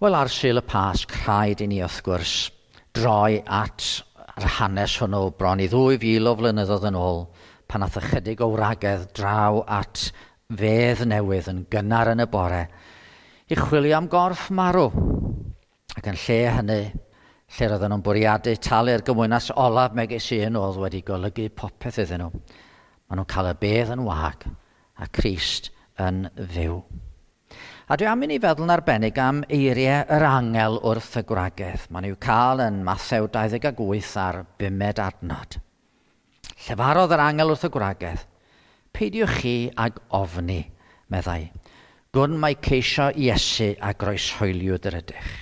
Wel, ar Sul y Pasg, rhaid i ni wrth gwrs droi at yr hanes hwnnw bron i 2,000 o flynyddoedd yn ôl, pan nath ychydig o wragedd draw at fedd newydd yn gynnar yn y bore i chwilio am gorff marw. Ac yn lle hynny, lle roedden nhw'n bwriadu talu'r gymwynas olaf megis un oedd wedi golygu popeth iddyn nhw, maen nhw'n cael y bedd yn wag a Crist yn fyw. A dwi am i ni feddwl yn arbennig am eiriau yr angel wrth y gwragedd. Maen nhw'n cael yn Mathew 28 a'r bumed adnod. Llefarodd yr angel wrth y gwragedd, peidiwch chi ag ofni, meddai. Gwn mai ceisio Iesu a groeshoeliwyd yr ydych.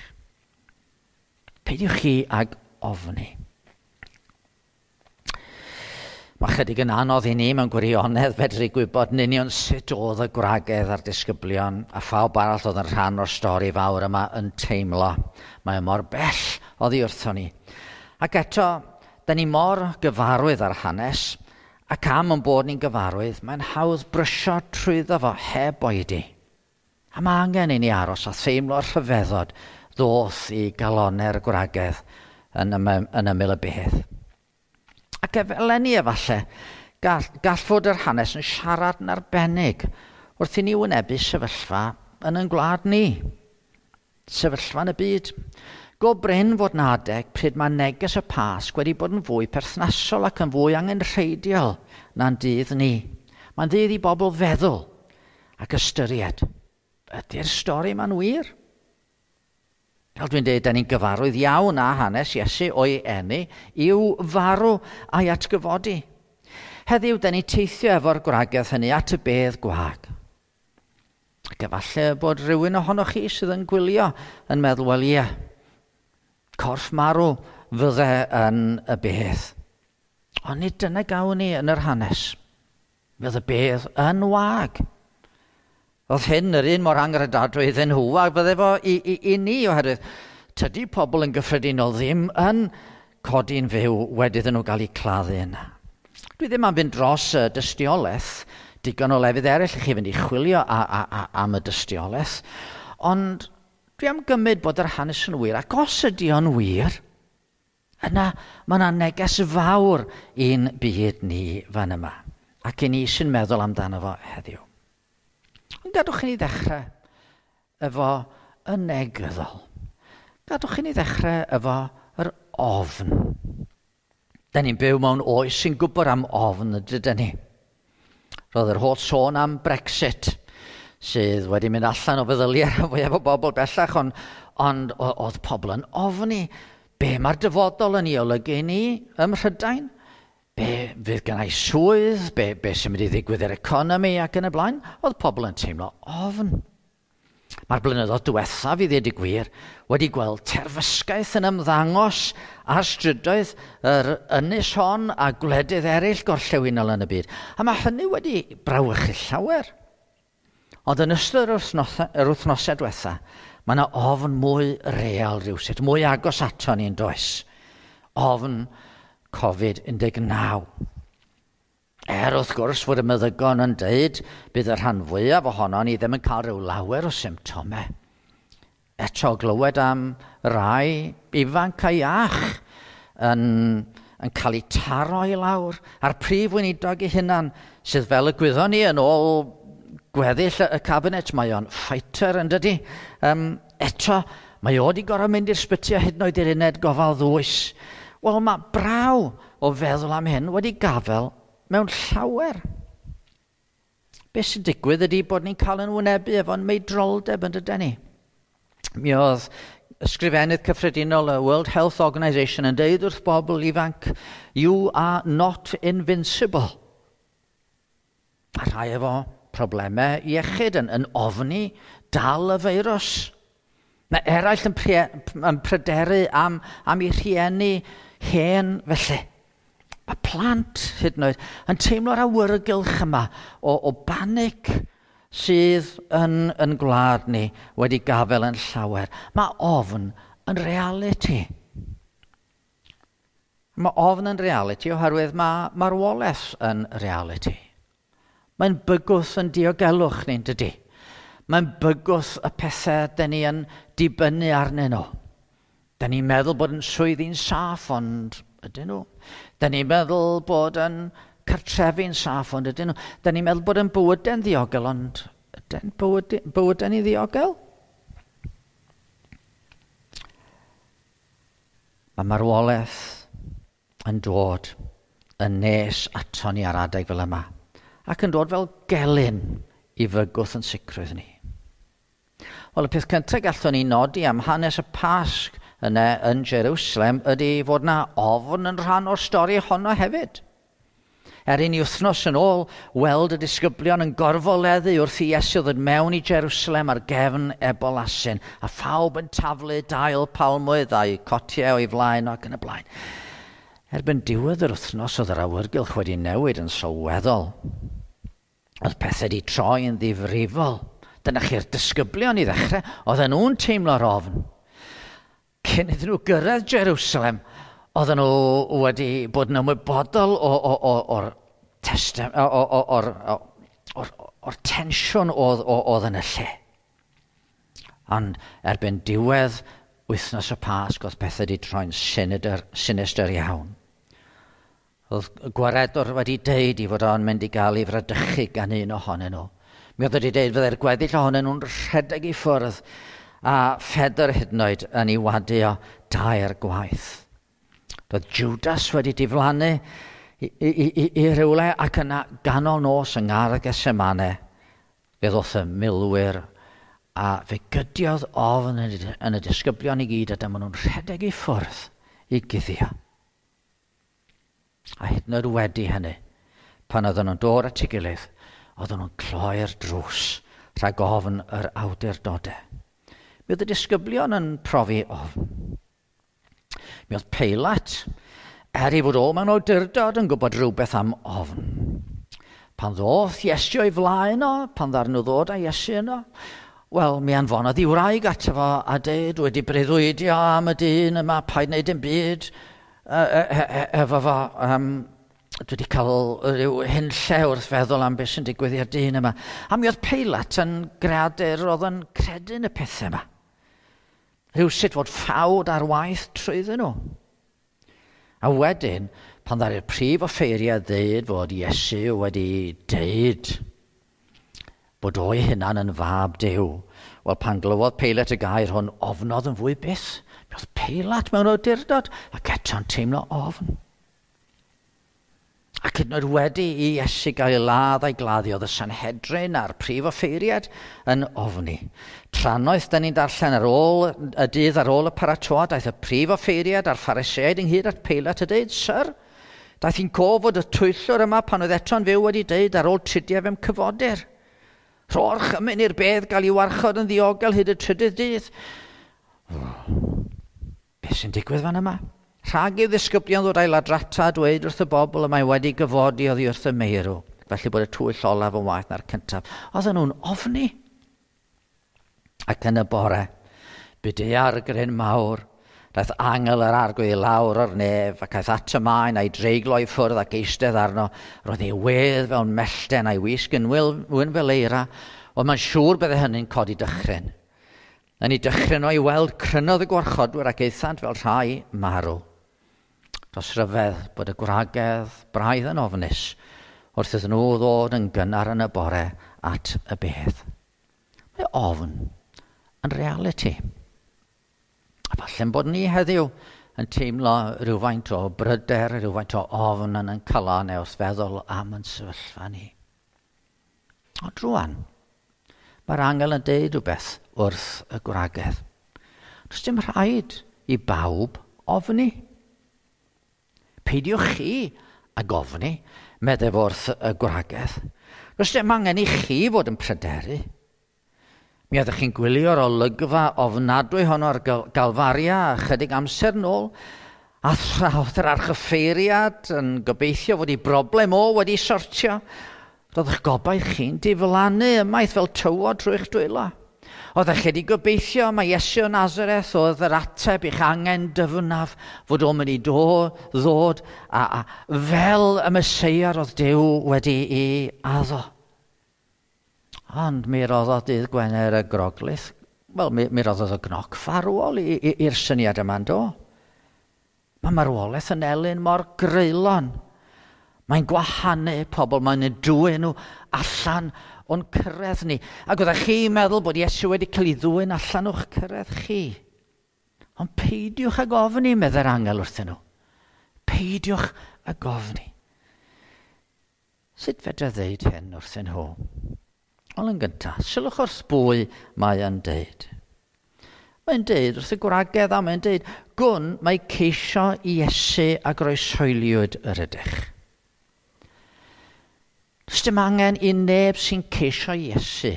Peidiwch chi ag ofni. Mae chydig yn anodd i ni mewn gwirionedd fedru gwybod yn union sut oedd y gwragedd a'r disgyblion a phawb arall oedd yn rhan o'r stori fawr yma yn teimlo. Mae o mor bell oddi wrthon ni. Ac eto, da ni mor gyfarwydd ar hanes, ac am yn bod ni'n gyfarwydd, mae'n hawdd brysio trwyddo fo heb oedi. A mae angen i ni aros a theimlo'r rhyfeddod ddoth i galonau'r gwragedd yn, yn ymyl y bedd. Ac eleni efallai, gall, gall fod yr hanes yn siarad yn arbennig wrth i ni wynebu sefyllfa yn ein gwlad ni. Sefyllfa yn y byd. Go brin fod na adeg pryd mae neges y Pasg wedi bod yn fwy perthnasol ac yn fwy angenrheidiol na'n dydd ni. Mae'n ddydd i bobl feddwl ac ystyried. Ydy'r stori ma'n wir? Fel dwi'n dweud, da ni'n gyfarwydd iawn â hanes Iesu o'i eni i'w farw a'i atgyfodi. Heddiw, da ni'n teithio efo'r gwragedd hynny at y bedd gwag. Ac efallai bod rhywun ohonoch chi sydd yn gwylio yn meddwl, wel ie, corff marw fydde yn y bedd. Ond nid dyna gawn ni yn yr hanes. Fydd y bedd yn wag. Oedd hyn yr un mor angredadwy iddyn nhw a fydde fo i, i, i ni oherwydd tydi pobl yn gyffredinol ddim yn codi'n fyw wedi iddyn nhw gael eu claddu yna. Dwi ddim am fynd dros y dystiolaeth, digon o lefydd eraill i chi fynd i chwilio a, a, a, am y dystiolaeth, ond dwi am gymryd bod yr hanes yn wir, ac os ydy o'n wir, yna mae yna neges fawr i'n byd ni fan yma, ac i ni sy'n meddwl amdano fo heddiw. Ond gadwch i ni ddechrau efo y negyddol. Gadwch i ni ddechrau efo yr ofn. Da ni'n byw mewn oes sy'n gwybod am ofn, ydyn ni. Roedd yr holl sôn am Brexit, sydd wedi mynd allan o feddyliau rhan fwyaf o bobl bellach, ond, ond oedd pobl yn ofni. Be mae'r dyfodol yn ei olygu i ni ym Mhrydain? Be fydd gennau swydd, be, be sy'n mynd i ddigwydd i'r economi ac yn y blaen, oedd pobl yn teimlo ofn. Mae'r blynyddoedd diwethaf, i ddweud y gwir, wedi gweld terfysgaeth yn ymddangos ar strydoedd yr ynys hon a gwledydd eraill gorllewinol yn y byd. A mae hynny wedi brawychu llawer. Ond yn ystod yr, wythnosau, yr wythnosau diwetha, mae yna ofn mwy real rhywsut, mwy agos ato ni'n does. Ofn Covid-19. Er wrth gwrs fod y meddygon yn deud bydd y rhan fwyaf ohono ni ddim yn cael rhyw lawer o symptomau. Eto glywed am rai ifanc a iach yn, yn cael eu taro i lawr, a'r prif weinidog ei hunan, sydd fel y gwyddon ni yn ôl gweddill y cabinet, mae o'n fighter yn dydy. Um, eto, mae o wedi gorfod mynd i'r sbyty a hyd yn oed i'r uned gofal ddwys. Wel, mae braw o feddwl am hyn wedi gafel mewn llawer. Be sy'n digwydd ydy bod ni'n cael yn wynebu efo'n meidroldeb yn dydyn ni. Mi oedd ysgrifennydd cyffredinol y World Health Organization yn deud wrth bobl ifanc, you are not invincible. A rhai efo problemau iechyd yn, yn ofni dal y feirws. Mae eraill yn, pre, yn pryderu am, am eu rhieni hen felly. Mae plant hyd yn oed yn teimlo'r awyrgylch yma o, o banic sydd yn, yn gwlad ni wedi gafel yn llawer. Mae ofn yn reality. Mae ofn yn reality oherwydd mae marwolaeth yn reality. Mae'n bygwth yn diogelwch ni'n dydy. Mae'n bygwth y pethau dyn ni yn dibynnu arnyn nhw. Dyn ni'n meddwl bod yn swyddi'n saff, ond ydyn nhw. Dyn ni'n meddwl bod yn cartrefi'n saff, ond ydyn nhw. Dyn ni'n meddwl bod yn bywydau'n ddiogel, ond ydyn bywydau'n i ddiogel? Mae marwolaeth yn dod yn nes ato ni ar adeg fel yma, ac yn dod fel gelyn i fygwth yn sicrwydd ni. Wel, y peth cyntaf gallwn ni nodi am hanes y Pasg yna yn Jerusalem ydy fod na ofn yn rhan o'r stori honno hefyd. Er i ni wythnos yn ôl weld y disgyblion yn gorfoleddu wrth i Iesu ddod mewn i Jerusalem ar gefn ebol asyn, a phawb yn taflu dail palmwydd a'i cotiau o'i flaen ac yn y blaen. Erbyn diwedd yr wythnos oedd yr awyrgylch wedi newid yn sylweddol. Oedd pethau wedi troi yn ddifrifol. Dyna chi'r disgyblion i ddechrau, oedden nhw'n teimlo'r ofn. Cyn iddyn nhw gyrraedd Jerusalem, oedden nhw wedi bod yn ymwybodol o'r tensiwn oedd yn y lle. Ond erbyn diwedd wythnos y Pasg, oedd pethau wedi troi'n sinister iawn. Oedd y gwaredwr wedi deud i fod o'n mynd i gael ei fradychu gan un ohonyn nhw. Mi oedd wedi deud fyddai'r gweddill ohonyn nhw'n rhedeg i ffwrdd a Phedr hyd yn oed yn ei wadu o dair gwaith. Roedd Judas wedi diflannu i rywle ac yna ganol nos yng Ngardd Gethsemane, fe ddoth y milwyr a fe gydiodd ofn yn y disgyblion i gyd a dyma nhw'n rhedeg i ffwrdd i guddio. A hyd yn oed wedi hynny, pan oedden nhw'n dod at ei gilydd, oedden nhw'n cloi'r drws rhag ofn yr awdurdodau. Mi oedd y disgyblion yn profi ofn. Mi oedd Peilat, er ei fod o mewn awdurdod, yn gwybod rhywbeth am ofn. Pan ddoth Iesu o'i flaen o, pan ddaru nhw ddod â Iesu yno, wel, mi anfonodd ei wraig ato fo a deud, wedi breuddwydio am y dyn yma, paid wneud dim byd efo fo. Dwi wedi cael rhyw hunlle wrth feddwl am beth sy'n digwydd i'r dyn yma. A mi oedd Peilat yn greadur oedd yn credu yn y pethau yma. Rhywsut fod ffawd ar waith trwyddyn nhw. A wedyn, pan ddaru'r prif offeiriad ddeud fod Iesu wedi deud bod o'i hunan yn fab Duw, wel, pan glywodd Peilat y gair hwn, ofnodd yn fwy byth. Mi oedd Peilat mewn awdurdod ac eto'n teimlo ofn. Ac hyd yn oed wedi i Iesu gael ei ladd a'i gladdu, oedd y Sanhedrin a'r prif offeiriad yn ofni. Trannoeth, da ni'n darllen ar ôl y dydd ar ôl y paratoad, daeth y prif offeiriad a'r Phariseaid ynghyd at Peilat a dweud, Syr, daeth hi'n cof fod y twyllwr yma pan oedd eto'n fyw wedi dweud ar ôl tridiau fe'm cyfodir. Rho orchymyn i'r bedd gael ei warchod yn ddiogel hyd y trydydd dydd. Beth sy'n digwydd fan yma? Rhag i'w ddisgyblion ddod a'i ladrata a dweud wrth y bobl y mae wedi gyfodi oddi wrth y meirw, felly bod y twyll olaf yn waeth na'r cyntaf. Oedden nhw'n ofni. Ac yn y bore, bu daeargryn mawr, daeth angel yr arglwydd i lawr o'r nef ac aeth at y maen a'i dreiglo i ffwrdd ac eistedd arno. Roedd ei wedd fel mellten a'i wisg yn wyn fel eira, ond mae'n siŵr bydde hynny'n codi dychryn. Yn ei dychryn o'i weld, crynodd y gwarchodwyr ac aethant fel rhai marw. Dros ryfedd bod y gwragedd braidd yn ofnus wrth iddyn nhw ddod yn gynnar yn y bore at y bedd. Mae ofn yn realiti. A falle'n bod ni heddiw yn teimlo rhywfaint o bryder, rhywfaint o ofn yn ein calon neu wrth feddwl am yn sefyllfa ni. Ond rwan, mae'r angel yn deud rhywbeth wrth y gwragedd. Does dim rhaid i bawb ofni. Peidiwch chi ag ofni, meddai fo wrth y gwragedd. Does dim angen i chi fod yn pryderu. Mi oeddech chi'n gwylio'r olygfa ofnadwy honno ar Galfaria chydig amser nôl, a thra oedd yr archoffeiriad yn gobeithio fod ei broblem o wedi sortio, roedd eich gobaith chi'n diflannu ymaith fel tywod trwy'ch dwylo. Oeddech chi wedi gobeithio mai Iesu o Nazareth oedd yr ateb i'ch angen dyfnaf, fod o'n mynd i ddod a fel y Meseia roedd Duw wedi ei addo. Ond mi roddodd dydd Gwener y Groglith, wel, mi roddodd y gnoc farwol i'r syniad yma, do? Mae marwolaeth yn elyn mor greulon. Mae'n gwahanu pobl, mae'n eu dwyn nhw allan o'n cyrraedd ni. Ac oeddech chi'n meddwl bod Iesu wedi cael ei ddwyn allan o'ch cyrraedd chi. Ond peidiwch ag ofni, meddai'r angel wrthyn nhw. Peidiwch ag ofni. Sut fedra ddeud hyn wrthyn nhw? Wel, yn gyntaf, sylwch wrth bwy mae yn deud. Mae'n deud wrth y gwragedd a mae'n deud, gwn mae ceisio Iesu a groeshoeliwyd yr ydych. Does dim angen i neb sy'n ceisio Iesu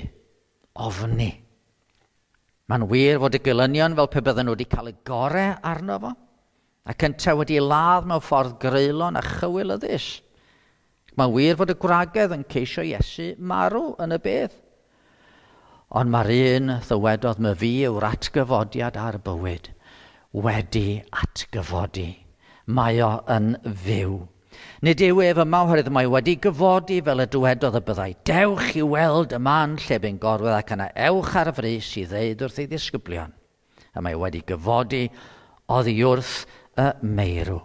ofni. Mae'n wir fod y gelynion fel pe bydden nhw wedi cael y gorau arno fo, ac yntau wedi ladd mewn ffordd greulon a chywilyddus. Mae'n wir fod y gwragedd yn ceisio Iesu marw yn y bedd. Ond mae'r un ddywedodd my fi yw'r atgyfodiad a'r bywyd wedi atgyfodi. Mae o yn fyw. Nid yw ef yma oherwydd mae wedi gyfodi fel y dywedodd y byddai. Dewch i weld y man lle bu'n gorwedd ac yna ewch ar frys i ddeud wrth ei ddisgyblion. A mae wedi gyfodi oddi wrth y meirw.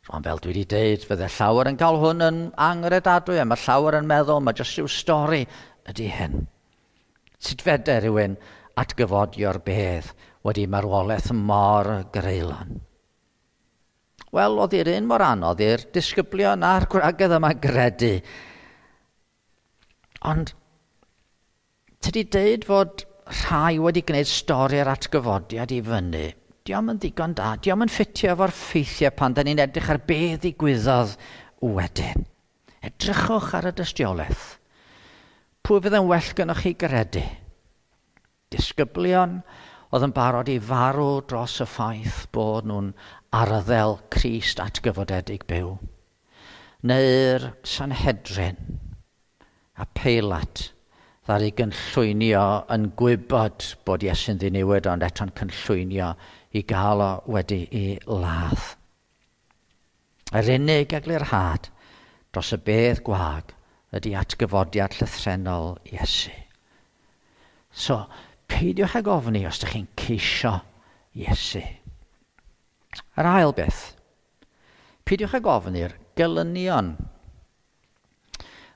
Rwan, fel dwi wedi deud, fydde llawer yn cael hwn yn angredadwy, a mae llawer yn meddwl, mae jyst rhyw stori ydy hyn. Sut fedr rhywun atgyfodi o'r bedd wedi marwolaeth mor greulon? Wel, oedd i'r un mor anodd i'r disgyblion a'r gwragedd yma gredu. Ond, tydi deud fod rhai wedi gwneud stori'r atgyfodiad i fyny, dio'm yn ddigon da, dio'm yn ffitio efo'r ffeithiau pan da ni'n edrych ar be ddigwyddodd wedyn. Edrychwch ar y dystiolaeth. Pwy fydd yn well gynnwch chi gredu? Disgyblion oedd yn barod i farw dros y ffaith bod nhw'n arddel Crist atgyfodedig byw. Neu'r Sanhedrin a Peilat ddaru gynllwynio yn gwybod bod Iesu'n ddiniwed, ond eto'n cynllwynio i gael o wedi ei ladd. Yr unig eglurhad dros y bedd gwag ydy atgyfodiad llythrennol Iesu. So, peidiwch ag ofni os ydych chi'n ceisio Iesu. Yr ail beth, peidiwch ag ofni'r gelynion.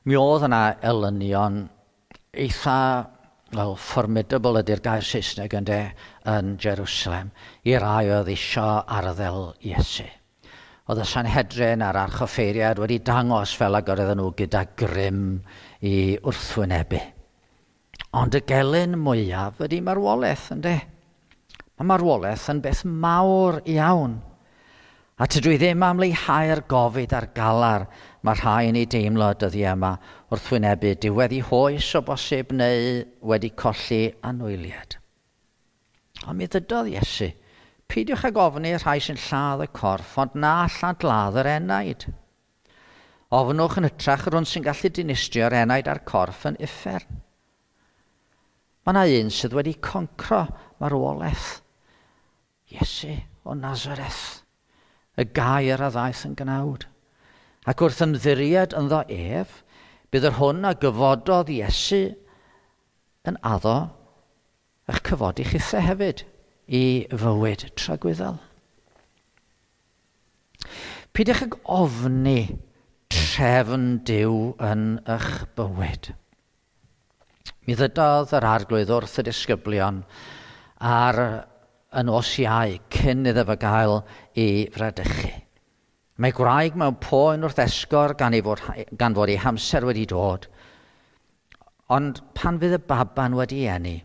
Mi oedd yna elynion eitha, wel, formidable ydy'r gair Saesneg ynde, yn Jerusalem, i rai oedd isio arddel Iesu. Oedd y Sanhedrin a'r archoffeiriad wedi dangos fel ag oedden nhw gyda grym i wrthwynebu. Ond y gelyn mwyaf ydy marwolaeth, ynde? Mae marwolaeth yn beth mawr iawn. A tydw i ddim am leihau'r gofid a'r galar mae rhai yn ei deimlo dyddiau yma wrth wynebu diwedd i hoes o bosib neu wedi colli anwyliad. Ond mi ddydodd Iesu, peidiwch ag ofni rhai sy'n lladd y corff, ond na allant ladd yr enaid. Ofnwch yn hytrach yr hwn sy'n gallu dinistrio'r enaid a'r corff yn uffern. Mae yna un sydd wedi concro marwolaeth. Iesu o Nazareth, y gair a ddaeth yn gnawd. Ac wrth ymddiried ynddo ef, bydd yr hwn a gyfododd Iesu yn addo eich cyfodi chithau hefyd i fywyd tragwyddol. Peidiwch ag ofni trefn Duw yn eich bywyd. Mi ddydodd yr arglwydd wrth y disgyblion ar y nos Iau cyn iddo fo gael ei fradychu. Mae gwraig mewn poen wrth esgor gan fod ei hamser wedi dod. Ond pan fydd y baban wedi eni,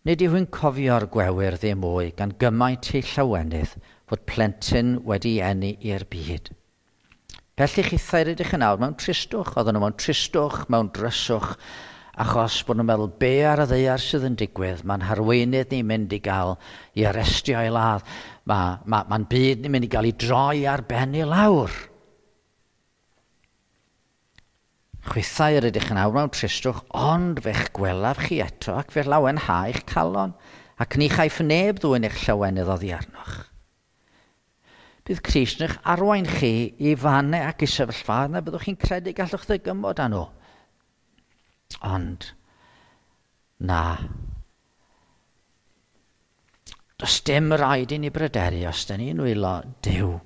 nid yw hi'n cofio'r gwewyr ddim mwy gan gymaint ei llawenydd fod plentyn wedi eni i'r byd. Felly chithau rydych yn awr mewn tristwch, oedden nhw mewn tristwch, mewn dryswch, achos bod nhw'n meddwl be ar y ddaear sydd yn digwydd, mae'n harweinydd ni'n mynd i gael i arestio i ladd, mae'n byd ni'n mynd i gael ei droi ar ben i lawr. Chwithau yr ydych yn awr mewn tristwch, ond fe'ch gwelaf chi eto ac fe lawenhau eich calon, ac ni chaiff neb ddwyn eich llawenydd oddi arnoch. Bydd Crist yn eich arwain chi i fannau ac i sefyllfaoedd na byddwch chi'n credu gallwch ddygymod â nhw. Ond, na. Does dim rhaid i ni bryderu os da ni'n wylo Duw.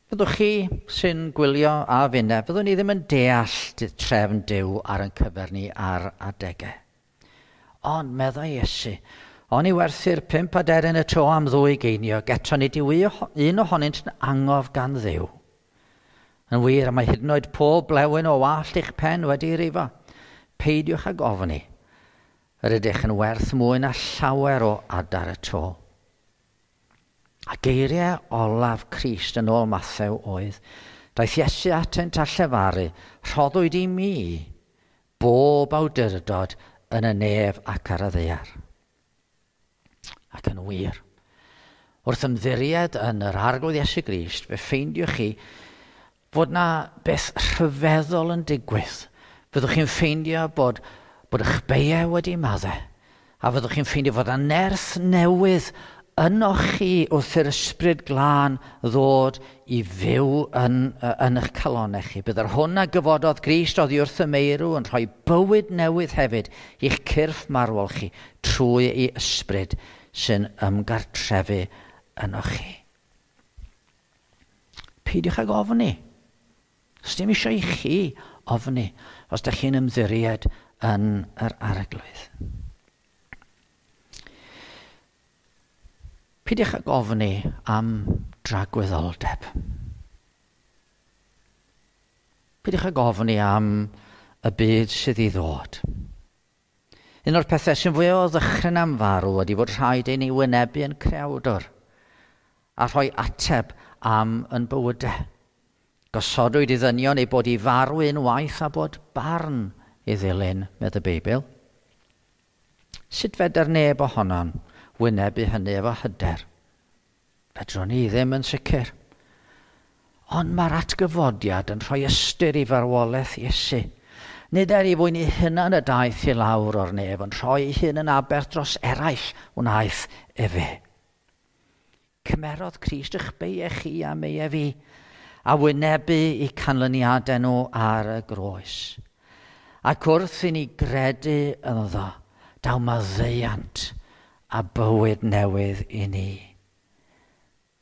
Fyddwch chi sy'n gwylio a finne, fyddwn ni ddim yn deall trefn Duw ar ein cyfer ni ar adegau. Ond, meddai Iesu, oni werthu'r 5 aderyn y to am 2 geiniog, eto nid yw un ohonynt yn angof gan Dduw. Yn wir, mae hyd yn oed pob blewyn o wallt eich pen wedi rifo. Peidiwch ag ofni. Yr ydych yn werth mwy na llawer o adar y to. A geiriau olaf Crist yn ôl Mathew oedd, daeth Iesu atynt a llefaru, rhoddwyd i mi bob awdurdod yn y nef ac ar y ddaear. Ac yn wir, wrth ymddiried yn yr Arglwydd Iesu Grist, fe ffeindiwch chi fod na beth rhyfeddol yn digwydd. Fyddwch chi'n ffeindio bod eich beiau wedi maddau, a fyddwch chi'n ffeindio fod na nerth newydd ynoch chi wrth i'r Ysbryd Glân ddod i fyw yn eich calonnau chi. Bydd yr hwn a gyfododd Grist oddi wrth y meirw yn rhoi bywyd newydd hefyd i'ch cyrff marwol chi trwy ei ysbryd sy'n ymgartrefu ynoch chi. Peidiwch ag ofni. Does dim eisiau i chi ofni os ydych chi'n ymddiried yn yr Arglwydd. Peidiwch ag ofni am dragwyddoldeb. Peidiwch ag ofni am y byd sydd i ddod. Un o'r pethau sy'n fwy o ddychryn am farw ydy fod rhaid i ni wynebu yn creawdwr a rhoi ateb am yn bywydau. Gosodwyd i ddynion ei bod i farw unwaith a bod barn i ddilyn, medd y Beibl. Sut fedr neb ohonon wynebu hynny efo hyder? Fedrwn ni ddim yn sicr. Ond mae'r atgyfodiad yn rhoi ystyr i farwolaeth Iesu. Nid er ei fwyn ei hunan y daeth i lawr o'r nef, ond rhoi ei hun yn aberth dros eraill wnaeth efe. Cymerodd Crist eich beiau chi a meiau fi, a wynebu eu canlyniadau nhw ar y groes. Ac wrth i ni gredu ynddo, daw maddeuant a bywyd newydd i ni.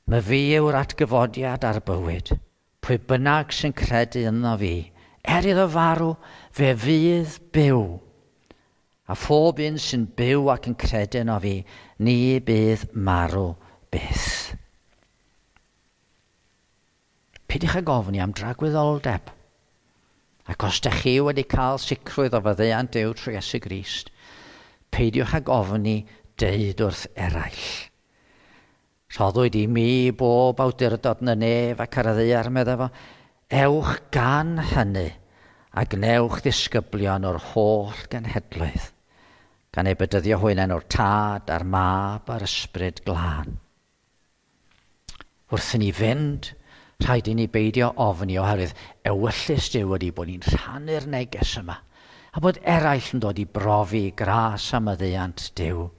Mae fi yw'r atgyfodiad a'r bywyd. Pwy bynnag sy'n credu ynddo fi, er iddo farw, fe fydd byw. A phob un sy'n byw ac yn credu yno fi, ni bydd marw byth. Peidiwch ag ofni am dragwyddoldeb. Ac os ydych chi wedi cael sicrwydd o faddeuant Duw trwy Iesu Grist, peidiwch ag ofni deud wrth eraill. Rhoddwyd i mi bob awdurdod yn y nef ac ar y ddaear, meddai fo. Ewch gan hynny a gwnewch ddisgyblion o'r holl genhedloedd, gan eu bedyddio hwy yn enw'r Tad a'r Mab a'r Ysbryd Glân. Wrth i ni fynd, rhaid i ni beidio ofni oherwydd ewyllys Duw ydy bod ni'n rhannu'r neges yma a bod eraill yn dod i brofi gras a maddeuant Duw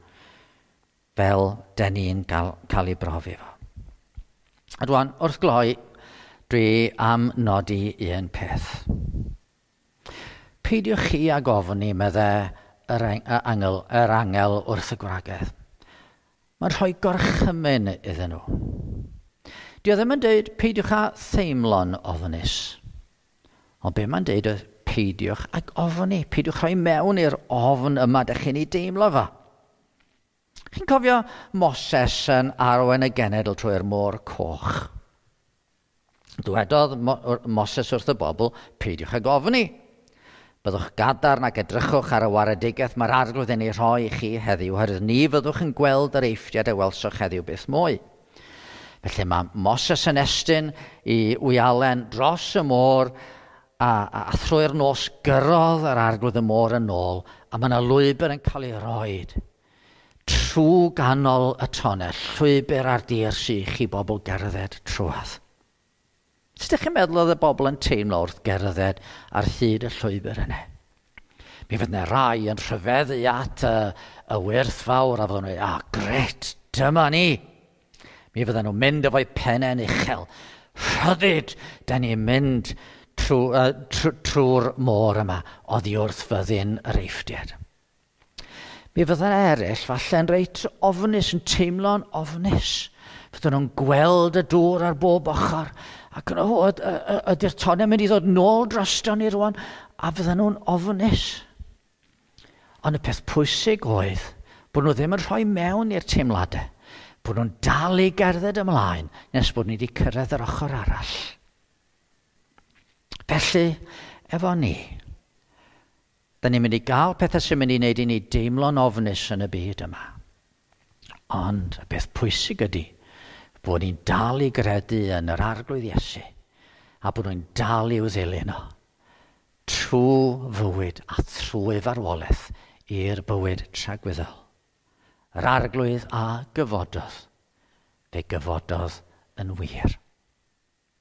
fel den ni'n cael ei brofi fo. A dwan, wrth gloi, dwi am nodi un peth. Peidiwch chi ag ofni, meddai yr angel wrth y gwragedd. Mae'n rhoi gorchymyn iddyn nhw. Dio ddim yn dweud peidiwch â theimlo'n ofnus. Ond be mae'n dweud oedd peidiwch ag ofni. Peidiwch rhoi mewn i'r ofn yma dych chi'n ei deimlo fo. Chi'n cofio Moses yn arwain y genedl trwy'r môr coch? Dwedodd Moses wrth y bobl, peidiwch ag ofni. Byddwch gadarn ac edrychwch ar y waredigaeth mae'r Arglwydd yn ei rhoi i chi heddiw, oherwydd ni fyddwch yn gweld yr Eifftiad a welsoch heddiw byth mwy. Felly mae Moses yn estyn i wialen dros y môr a thrwy'r nos gyrrodd yr Arglwydd y môr yn ôl, a mae yna lwybr yn cael ei roed trwy ganol y tonnell, llwybr ar dir sych i bobl gerdded trwadd. Sut ydych chi'n meddwl oedd y bobl yn teimlo wrth gerdded ar hyd y llwybr yna? Mi fydd yna rai yn rhyfeddu at y wyrth fawr a fydden nhw'n dweud, gret, dyma ni. Mi fydden nhw'n mynd efo'u pennau'n uchel. Rhyddid, da ni'n mynd trwy'r môr yma oddi wrth fyddin yr Eifftiaid. Mi fydden eraill falle'n reit ofnus, yn teimlo'n ofnus. Fydden nhw'n gweld y dŵr ar bob ochr ac yn o, ydy'r tonnau mynd i ddod nôl drosto ni rwan? A fydden nhw'n ofnus. Ond y peth pwysig oedd bod nhw ddim yn rhoi mewn i'r teimladau, bod nhw'n dal i gerdded ymlaen nes bod ni wedi cyrraedd yr ochr arall. Felly, efo ni, da ni'n mynd i gael pethau sy'n mynd i wneud i ni deimlo'n ofnus yn y byd yma. Ond y peth pwysig ydy bod ni'n dal i gredu yn yr Arglwydd Iesu a bod nhw'n dal i'w ddilyn o trwy fywyd a thrwy farwolaeth i'r bywyd tragwyddol. Yr Arglwydd a gyfododd, fe gyfododd yn wir.